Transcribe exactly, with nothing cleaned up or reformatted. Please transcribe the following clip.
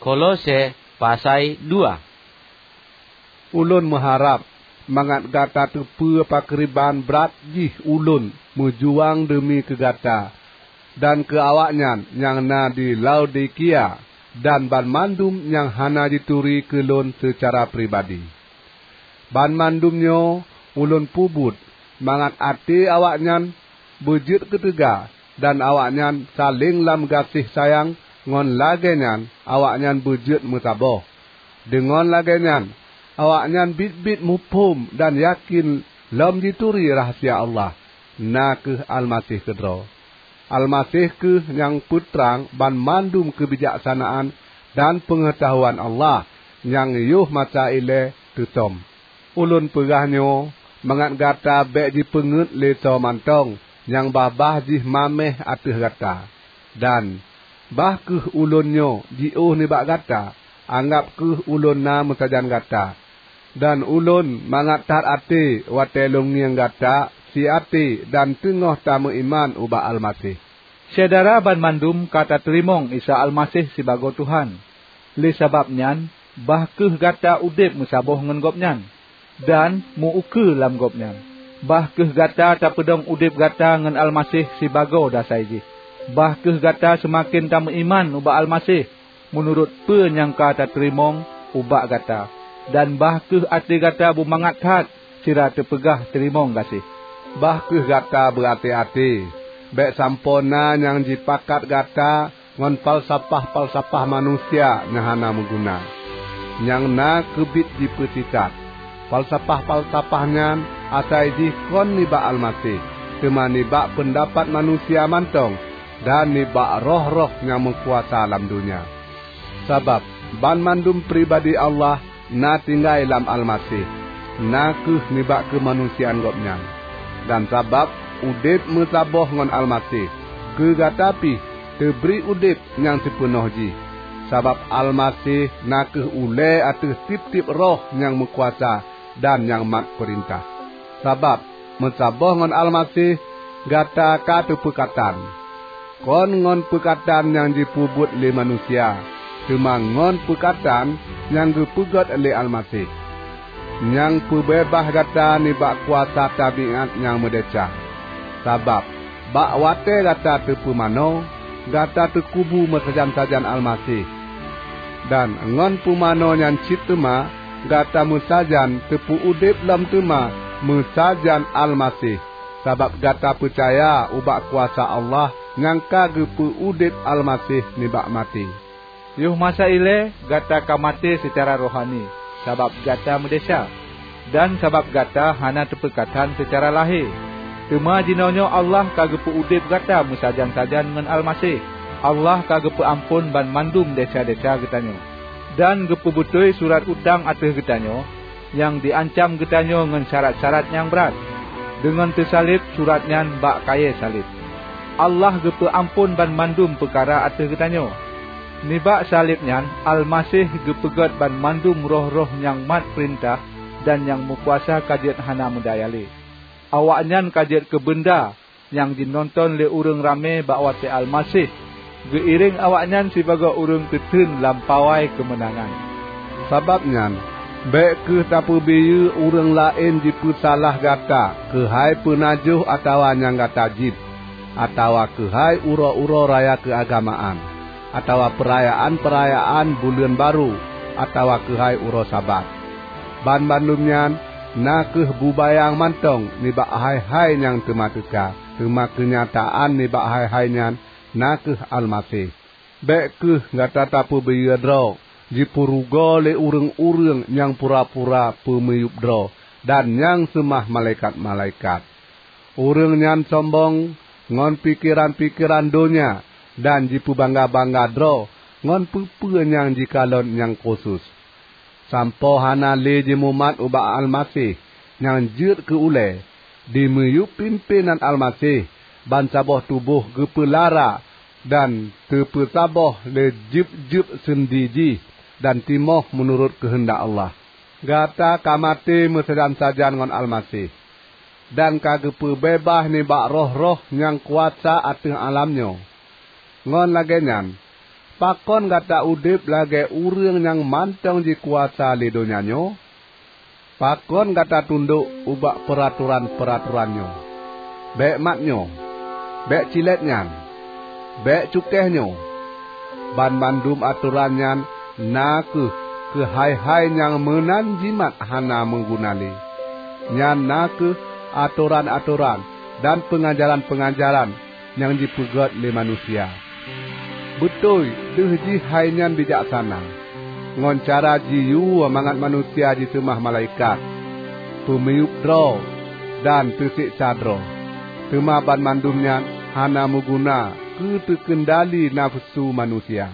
Kolose pasai dua. Ulôn meuharab mangat gata teupeue pakriban brat jih ulôn meujuang deumi keu gata dan keu awaknyan nyang na di Laodikia dan banmandum nyang hana jituri keu lôn seucara pribadi. Banmandum nyoe ulôn peubuet mangat até awaknyan beujeuet keuteuga dan awaknyan saléng lam gaséh sayang, ngon lagée nyan awaknyan beujeuet meusaboh. Deungon lagée nyan awaknyan biet-biet muphom dan yakén lom jituri rahsia Allah, na kheueh Almaseh keudroe. Almaseh kheueh nyang peutrang banmandum keubijaksanaan dan peungeutahuan Allah nyang yoh masa ilée teusom. Ulôn peugah nyoe mangat gata bék jipeungeuet lé soe mantong nyang babah jih maméh ateueh gata. Dan bah kheueh ulôn nyoe jiôh nibak gata, anggab kheueh ulôn na meusajan gata. Dan ulôn mangat that até watée lôn ngieng gata siaté dan teungoh tameuiman ubak Almaseh. Syedara banmandum ka tateurimong Isa Almaseh sibagoe Tuhan. Lé sabab nyan, bah kheueh gata udeb meusaboh ngon Gobnyan, dan meu-ukeue lam Gobnyan. Bah kheueh gata tapeudong udeb gata ngon Almaseh sibagoe dasai jih. Bah kheueh gata seumaken tameuiman ubak Almaseh meunurot peue nyang ka tateurimong ubak gata, dan bah kheueh até gata beumangat that sira teupeugah teurimong gaséh. Bah kheueh gata beuaté-até, bék sampoe na nyang jipakat gata ngon falsafah-falsafah manusia nyang hana meuguna, nyang na keubiet jipeusisat. Falsafah-falsafah nyan asai jih kon nibak Almaseh, teuma nibak peundapat manusia mantong dan nibak roh-roh nyang meukuasa lam donya. Sabab banmandum pribadi Allah na tinggai lam Almaseh, na kheueh nibak keumanusiaan Gobnyan. Dan sabab udeb meusaboh ngon Almaseh, keu gata pih teubri udeb nyang sipeunoh jih. Sabab Almaseh na kheueh ulée ateueh tieb-tieb roh nyang meukuasa dan nyang mat peurintah. Sabab meusaboh ngon Almaseh, gata ka teupeukatan, kon ngon peukatan nyang jipeubuet lé manusia, teuma ngon peukatan nyang geupeugét lé Almaseh, nyang peubeubaih gata nibak kuasa tabiát nyang meudesya. Sabab bak watée gata teupeumanoe, gata teukubu meusajan-sajan Almaseh, dan ngon peumanoe nyan cit teuma gata meusajan teupeu-udeb lom teuma meusajan Almaseh, sabab gata peucaya ubak kuasa Allah nyang ka geupeu-udeb Almaseh nibak maté. Yoh masa ilée gata ka maté seucara rohani, sabab gata meudesya, dan sabab gata hana teupeukatan seucara lahé. Teuma jinoenyoe Allah ka geupeu-udeb gata meusajan-sajan ngon Almaseh. Allah ka geupeuamphon banmandum desya-desya geutanyoe, dan geupeubeutôi surat utang ateueh geutanyoe nyang jiancam geutanyoe ngon syarat-syarat nyang brat. Deungon teusaleb surat nyan bak kayée saleb, Allah geupeuamphon banmandum peukara ateueh geutanyoe. Nibak saleb nyan Almaseh geupeugét banmandum roh-roh nyang mat peurintah dan nyang meukuasa ka jeuet hana meudaya lé. Awaknyan ka jeuet keu beunda nyang jinoenton lé ureuëng ramé bak watée Almaseh geuiréng awaknyan sibagoe ureuëng teuteun lam pawai keumeunangan. Sabab nyan, bék kheueh tapeubiyeu ureuëng laén jipeusalah gata keuhai peunajoh atawa nyang gata jieb, atawa keuhai uroe-uroe raya keuagamaan, atawa peurayaan-peurayaan buleuen barô, atawa keuhai uroe Sabat. Banmandum nyan na kheueh bubayang mantong nibak hai-hai nyang teuma teuka, teuma keunyataan nibak hai-hai nyan na kheueh Almaseh. Bék kheueh gata tapeubiyeu droe jipeurugoe lé ureuëng-ureuëng nyang pura-pura peumiyueb droe dan nyang seumah malaikat-malaikat. Ureuëng nyan sombong ngon pikeran-pikeran donya dan jipeubangga-bangga droe ngon peue-peue nyang jikalon nyang khusos. Sampoe hana lé jimumat ubak Almaseh nyang jeuet keu ulée, dimiyueb pimpénan Almaseh, bansaboh tuboh geupeulara dan teupeusaboh lé jeueb-jeueb seundi jih dan timoh meunurot keuheundak Allah. Gata ka maté meusajan-sajan ngon Almaseh, dan ka geupeubeubah nibak roh-roh nyang kuasa ateueh alam nyoe. Ngon lagée nyan, Pakon gata udeb lagée ureuëng nyang mantong jikuasa lé donya nyoe? Pakon gata tundok ubak peuratoran-peuratoran nyoe? Bék mat nyoe! Bék cilét nyan! Bék cukéh nyoe! Banmandum atoran nyan na kheueh keuhai-hai nyang meunan jimat hana meuguna lé. Nyan na kheueh atoran-atoran dan peungajaran-peungajaran nyang jipeugét lé manusia. Beutôi deuh jih hai nyan bijaksana, ngon cara jiyue mangat manusia jiseumah malaikat, peumiyueb droe, dan teuseksa droe. Teuma banmandum nyan hana meuguna keu teukeundali nafeusu manusia.